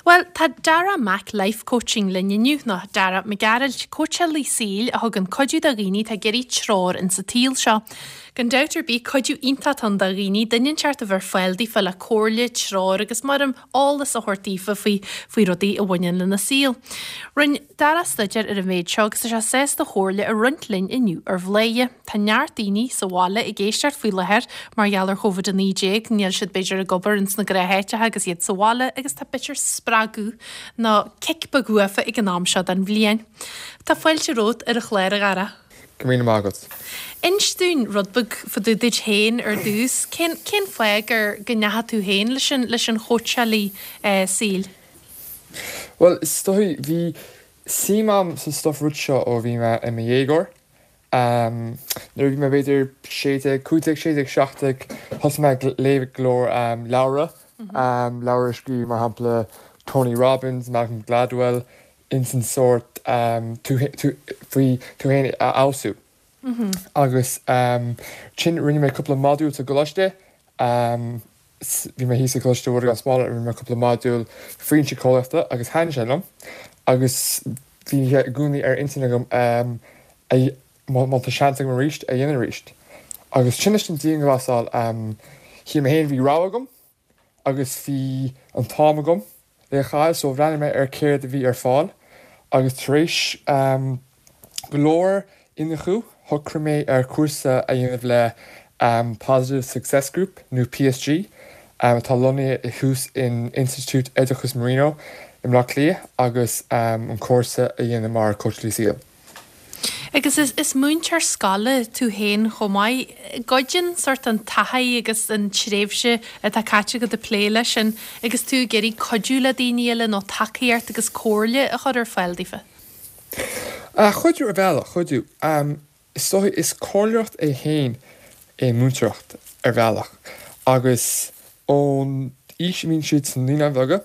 Bhuel, tá Dara Mac Life Coaching linn inniu, nó Dara Mac Gearailt, cóitseálaí saoil a thugann cuidiú do dhaoine atá ag iarraidh treoir in sa tsaol seo. Gan dabht ar bith, cuidiú iontach atá ann do dhaoine, duine inteacht a bheith ar fáil daofa le comhairle, treoir agus mar eolas a thabhairt daofa faoi faoi rudaí a bhaineann lena saol. Rinne Dara staidéar ar an mhéid seo agus tá sé sásta a chomhairle a roinnt linn inniu ar Bhladhaire. Tá neart daoine sa bhaile ag éisteacht faoi láthair mar gheall ar Covid-19, níl siad b'fhéidir ag obair ins na gnátháiteacha agus iad sa bhaile agus tá b'fhéidir spreagadh nó cic beag uafa ag an am seo den bhliain. Tá fáilte romhat ar an chlár, a Dhara. Go raibh míle maith agat. Inis dúinn rud beag fá dtaobh duit féin ar dtús. Cén, cén fáth gur, go ndeachaigh tú féin leis an, leis an chóitseálaí saoil? Bhuel, is dóigh, bhí suim a'm sa stuif rud seo ó bhí mé i mo dhéagóir. Nuair a bhí mé b'fhéidir 16, 15, 16, 17, thosaigh mé ag léamh go leor leabhra, leabhra a scríobh mar shampla Tony Robbins, Malcolm Gladwell, ins an sórt tú faoi tú féin a fheabhsú. Agus ansin rinne mé cúpla modúl sa gcoláiste, Bhí mé thíos i gColáiste Mhuire gan Smál rinne mé cúpla modúl faoin síceolaíochta agus thaitnigh sé liom agus bhí sé i gcónaí ar intinn agam é má tá seans agam arís a dhéanamh arís. Agus sin leis an dianghlasáil shíl mé féin bhí rogha agam agus bhí an t-am agam le a chaitheamh so bhreathnaigh mé ar céard a bhí ar fáil agus tar éis go leor iniúchadh shocraigh mé ar chúrsa a dhéanamh le Positive Success Group nó PSG atá lonnaithe thuas in Institiúid Oideachais Marino i mBleá Cliath agus an cúrsa a dhéanamh mar cóitseálaí saoil. Agus is múinteoir scoile tú féin chomh maith. Goideann sórt an taithí agus an tréimhse atá caite agat ag plé leis sin agus tú ag iarraidh cuidiú le daoine eile nó tacaíocht agus comhairle a chur ar fáil daofa? Cuidiú ar bhealach, cuidiú. Is dóigh, is comhairleoireacht é féin é múinteoireacht ar bhealach agus ón aois a mbíonn siad sna naíonáin bheaga,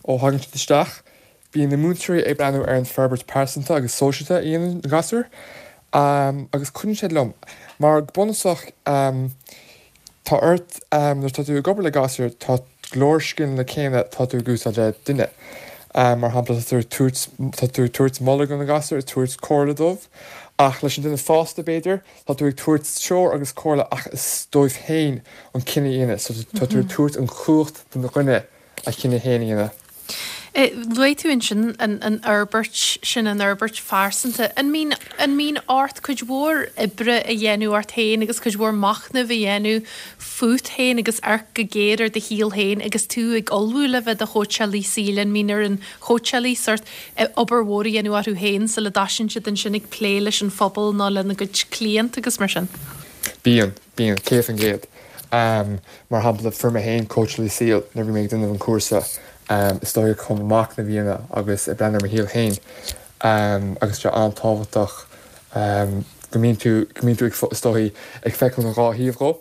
ó thagann siad isteach, Bíonn na múinteoirí ag breathnú ar an forbairt pearsanta agus sóisialta a dhéanann na gasúir agus cuidíonn sé liom mar go bunúsach tá ort nuair atá tú ag obair le gasúir tá go leor scileanna céanna atá tú ag úsáid le duine. Mar shampla tá tú ag tabhairt tá tú ag tabhairt moladh do na gasúir, ag tabhairt comhairle dóibh ach leis an duine fásta b'fhéidir tá tú ag tabhairt treoir agus comhairle ach is dóibh féin an cinneadh a dhéanamh so tá tú ag tabhairt an chumhacht don dhuine a chinneadh féin a dhéanamh. Luaigh tú ansin an fhorbairt sin, an fhorbairt phearsanta. An mbíonn, an mbíonn ort cuid mhór oibre a dhéanamh ort féin agus cuid mhór machnaimh a dhéanamh fút féin agus amharc go géar ar do shaol féin agus tú ag ullmhú le bheith i do chóitseálaí saoil? An mbíonn ar an chóitseálaí sórt obair mhór a dhéanamh orthu féin sula dtoisíonn siad ansin ag plé leis an phobal nó lena gcuid cliant agus mar sin? Bíonn. Bíonn, 100%. Mar shampla, fuair mé féin cóitseálaí saoil nuair a bhí mé ag déanamh an chúrsa, is dóigh chun machnamh a dhéanamh agus ag breathnú ar mo shaol féin agus tá sé an-tábhachtach go mbíonn tú, go mbíonn tú ag, is dóigh, ag feiceáil an dhá thaobh dhó.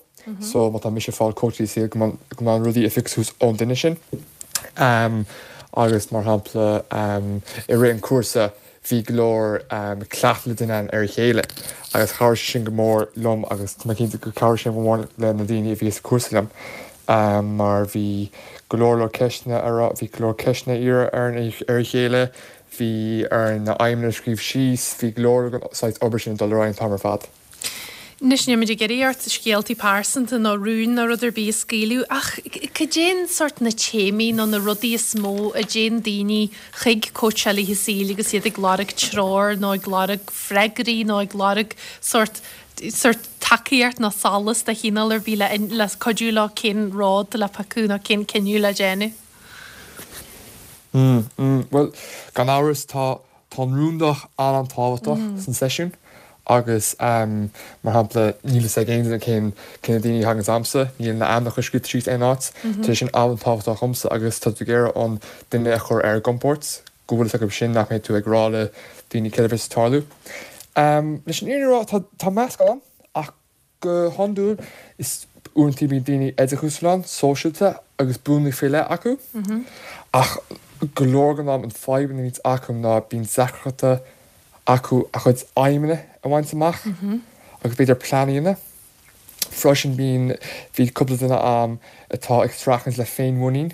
So má tá mise ag fáil cóitseálaí saoil go mbeadh na rudaí a phiocadh suas ón duine sin. Agus mar shampla, i rith an chúrsa, Bhí go leor cleachtadh le déanamh ar a chéile agus chabhraigh sé sin go mór liom agus tá mé cinnte gur chabhraigh sé go mór le na daoine a bhí sa chúrsa liom mar bhí go leor leor ceisteanna a rá, bhí go leor ceisteanna a iarraidh ar a chéile, bhí orainn na aidhmeanna a scríobh síos, bhí go leor den saghas obair sin ag dul ar aghaidh an t-am ar fad. Anois níl muid ag iarraidh ort scéaltaí pearsanta nó rúin nó rud ar bith a scaoileadh ach cad é an sórt na téamaí nó na rudaí is mó a dtéann daoine chuig cóitseálaithe saoil agus iad ag lorg treoir nó ag lorg freagraí nó ag lorg sórt sórt tacaíocht nó solas de chineál ar bith le le cuidiú leo cén rud le piocadh nó cén cinneadh le déanamh? Mm, mm, bhuel, gan amhras tá Tá an rúndacht an-an-tábhachtach san seisiún agus mar shampla níl fhios ag aon duine cén cé na daoine a thagann chugamsa, níl na ainmneacha scríofa síos aon áit. Tá sé sin an-tábhachtach dhomsa agus tá tú ag iarraidh an duine a chur ar a gcompord go bhfuil fhios acu sin nach mbeidh tú ag rá le daoine céard a bheas ag tarlú. Leis an fhírinne a rá tá tá meascán ann ach Go hiondúil, is uaireanta bíonn daoine oideachasúil ann, sóisialta agus buanna faoi leith acu. Ach go leor den am an fadhb a bhíonns acu ná bíonn deacrachtaí acu a chuid aidhmeanna a bhaint amach agus b'fhéidir plean a dhéanamh. Freisin bíonn, bhí cúpla duine a'm atá ag streachailt le féinmhuinín.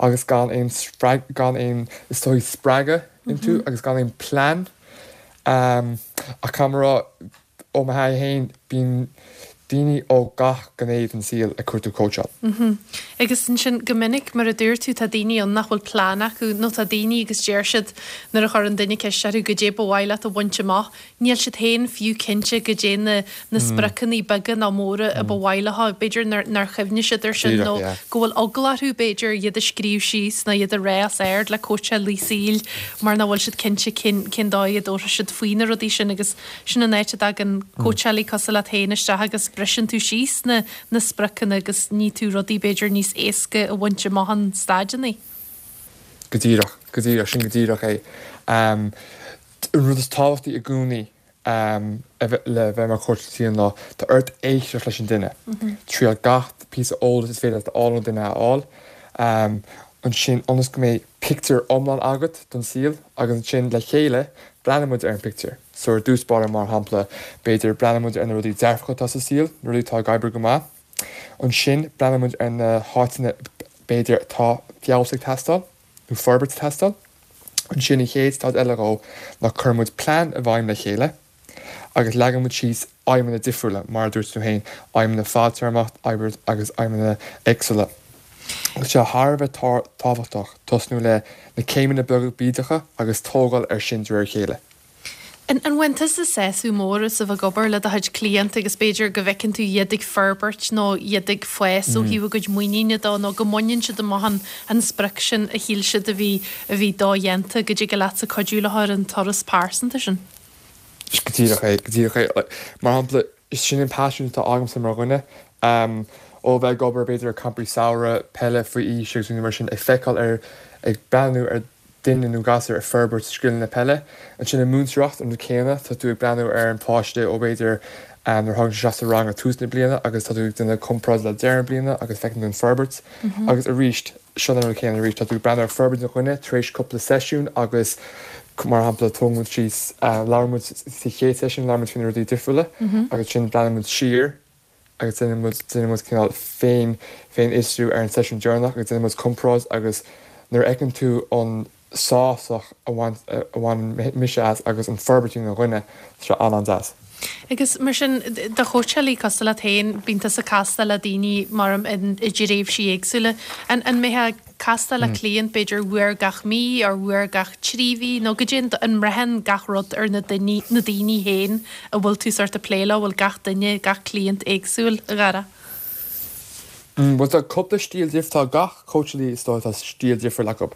agus gan aon gan aon is dóigh spreagadh iontu agus gan aon plean. Ach caithfidh mé a rá, ó mo thaithí féin, bíonn daoine ó gach gné den saol ag cuartú cóitseáil. Agus ansin, go minic, mar a dúirt tú, tá daoine ann nach bhfuil plean acu, nó tá daoine agus deir siad, nuair a chuireann duine ceist orthu, goidé ba mhaith leat a bhaint amach, Níl siad féin fiú cinnte goidé na na spriocanna beaga nó móra a ba mhaith leo. B'fhéidir nár nár chuimhnigh siad air sin nó go bhfuil eagla orthu b'fhéidir iad a scríobh síos nó iad a rá os ard le cóitseálaí saoil mar nach bhfuil siad cinnte cén cén dóigh a dtabharfaidh siad faoi na rudaí sin agus sin an áit a dtagann cóitseálaí cosúil leat féin isteach agus briseann tú síos na na spriocanna agus ní tú rudaí b'fhéidir níos éasca a bhaint amach in staideanna. Go díreach, go díreach, sin go díreach é. An rud is tábhachtaí i gcónaí le bheith mar chóitseálaí saoil ná tá ort éisteacht leis an duine. Triail gach píosa eolais is féidir leat a fháil ón duine a fháil. Ansin ionas go mbeidh pictiúr iomlán agat don saol agus ansin le chéile breathnaíonn muid ar an pictiúr. So ar dtús báire mar shampla b'fhéidir breathnaíonn muid ar na rudaí dearfacha atá sa saol, na rudaí atá ag oibriú go maith. Ansin breathnaíonn muid ar na háiteanna b'fhéidir atá feabhas ag teastáil. nó forbairt ag teastáil. Ansin an chéad staid eile dhó ná cuireann muid plean i bhfeidhm le chéile agus leagann muid síos aidhmeanna difriúla, mar a dúirt tú féin, aidhmeanna fadtéarmach agus aidhmeanna éagsúla. Tá sé thar a bheith tábhachtach tosnú le na céimeanna beaga bídeacha agus tógáil ar sin de réir a chéile. An bhfaigheann tusa sásamh mór as a bheith ag obair le do chuid cliant agus b'fhéidir go bhfeiceann tú iad ag forbairt nó iad ag fás ó thaobh a gcuid muiníne de nó go mbaineann siad amach an an sprioc sin a shíl siad a bhí a bhí dodhéanta, go dtig leatsa cuidiú leo ar an turas pearsanta sin? Go díreach é, go díreach é. Mar shampla, is sin an paisean atá agamsa mar dhuine. Ó bheith ag obair b'fhéidir ar campaí samhraidh, peile faoi aois agus rudaí mar sin, ag feiceáil ar, ag breathnú ar duine nó gasúr ag forbairt scileanna peile. Ansin i múinteoireacht, an rud céanna, tá tú ag breathnú ar an pháiste ó b'fhéidir nuair a thagann sé isteach sa rang ag tús na bliana agus tá tú ag déanamh comparáid le deireadh na bliana agus feiceann tú an forbairt. Agus arís, seo an rud céanna arís, tá tú ag breathnú ar forbairt an dhuine tar éis cúpla seisiún agus mar shampla tógann muid síos, labhrann muid sa chéad seisiún, labhrann muid faoi na rudaí difriúla agus ansin breathnaíonn muid siar agus déanann muid, déanann muid cineál féin, féinfhiosrú ar an seisiún deireanach agus déanann muid comparáid agus nuair a fheiceann tú an sásamh a bhain, a bhaineann mise as agus an forbairt an dhuine, tá sé an-an-deas. Agus mar sin, do chóitseálaí cosúil leat féin, bíonn tusa ag castáil le daoine mar i dtréimhsí éagsúla. An, an mbeifeá ag castáil le cliant b'fhéidir uair gach mí or uair gach 3 mhí nó goidé an mbraitheann gach rud ar na duine, na daoine féin a bhfuil tú sort ag plé leo, bhfuil gach duine, gach cliant éagsúil, a Dhara? Bhuel tá cúpla stíl dif, tá gach cóitseálaí is dóigh tá stíl difriúil acu.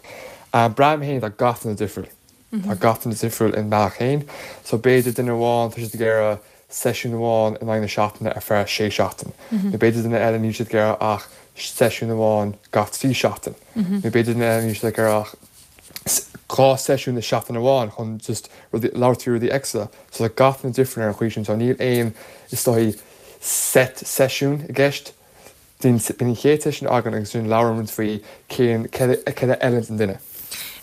Braithim féin tá gach duine difriúil. Tá gach duine difriúil ina mbealach féin. So b'fhéidir duine amháin tá siad ag iarraidh seisiún amháin in aghaidh na seachtaine ar feadh sé seachtain. Nó b'fhéidir duine eile níl siad ag iarraidh ach seisiún amháin gach 3 seachtain. Nó b'fhéidir duine eile níl siad ag iarraidh ach 2 seisiún i seachtain amháin chun just rudaí, labhairt faoi rudaí éagsúla. So tá gach duine difriúil ar an chaoi sin. So níl aon, is dóigh, set seisiún i gceist. Bíonn an chéad seisiún againn agus ansin labhrann muid faoi cén, céard a fheileann don duine.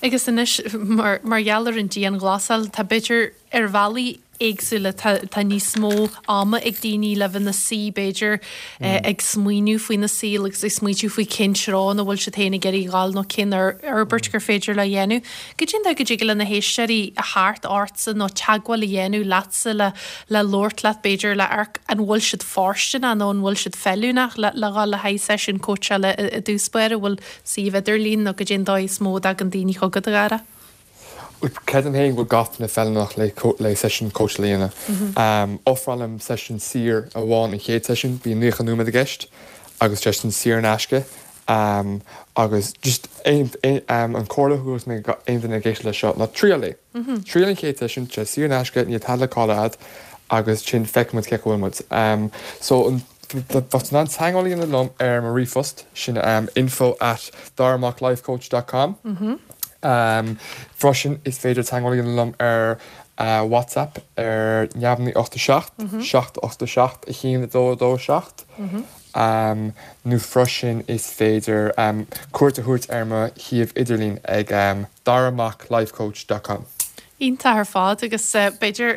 Agus anois, mar, mar gheall ar an dianghlasáil, tá b'fhéidir ar bhealaí éagsúla, tá, tá níos mó ama ag daoine le bheith ina suí b'fhéidir ag smaoineamh faoina saol agus ag smaointiú faoi cén treo ina bhfuil siad féin ag iarraidh dhul nó cén fhorbairt gur féidir leo a dhéanamh. Goidé an dóigh go dtig le na héisteoirí a theacht ortsa nó teagmháil a dhéanamh leatsa le le labhairt leat b'fhéidir le amharc an bhfuil siad fóirsteanach nó an bhfuil siad feiliúnach le le dhul le haghaidh seisiún cóitseála i dtús báire, an bhfuil suíomh idirlín nó goidé an dóigh is mó a dtagann daoine chugat, a Dhara? Creidim féin go bhfuil gach duine feiliúnach le le seisiún cóitseála a dhéanamh. Ofrálaim seisiún saor amháin an chéad seisiún, bíonn 90 nóiméad i gceist agus seisiún saor in aisce agus just aon an comhairle a thabharfadh mé aon duine ag éisteacht leis seo ná triail é. Triail an chéad seisiún, tá sé saor in aisce, níl tada le cailleadh agat agus ansin feicfidh muid cén chaoi a bhfuil muid. So an tá tú in ann teagmháil a dhéanamh liom ar mo ríomhphost, sin info at daramaclifecoach dot com. Freisin is féidir teagmháil a dhéanamh liom ar WhatsApp ar 0 9 8 7 7 8 7 1 2 2 7. Nó freisin is féidir cuairt a thabhairt ar mo shuíomh idirlín ag daramaclifecoach dot com. Iontach ar fad agus b'fhéidir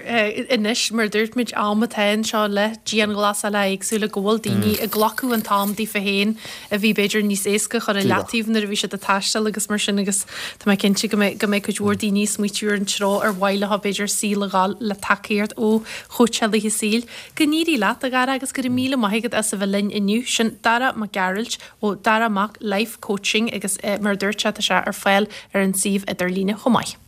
anois mar a dúirt muid am atá anseo le dianghlasálacha éagsúla go bhfuil daoine ag glacadh an t-am daofa féin a bhí b'fhéidir níos éasca a chur i leataobh nuair a bhí siad ag taisteal agus mar sin agus tá mé cinnte go mbeidh go mbeidh cuid mhór daoine ag smaoitiú ar an treo ar mhaith leo b'fhéidir saol a ghabháil le tacaíocht ó chóitseálaithe saoil. Go n-éirí leat a Dhara agus go raibh míle maith agat as a bheith linn inniu. Sin Dara Mac Gearailt ó Dara Mac Life Coaching agus mar a dúirt sé tá sé ar fáil ar an suíomh idirlíne chomh maith.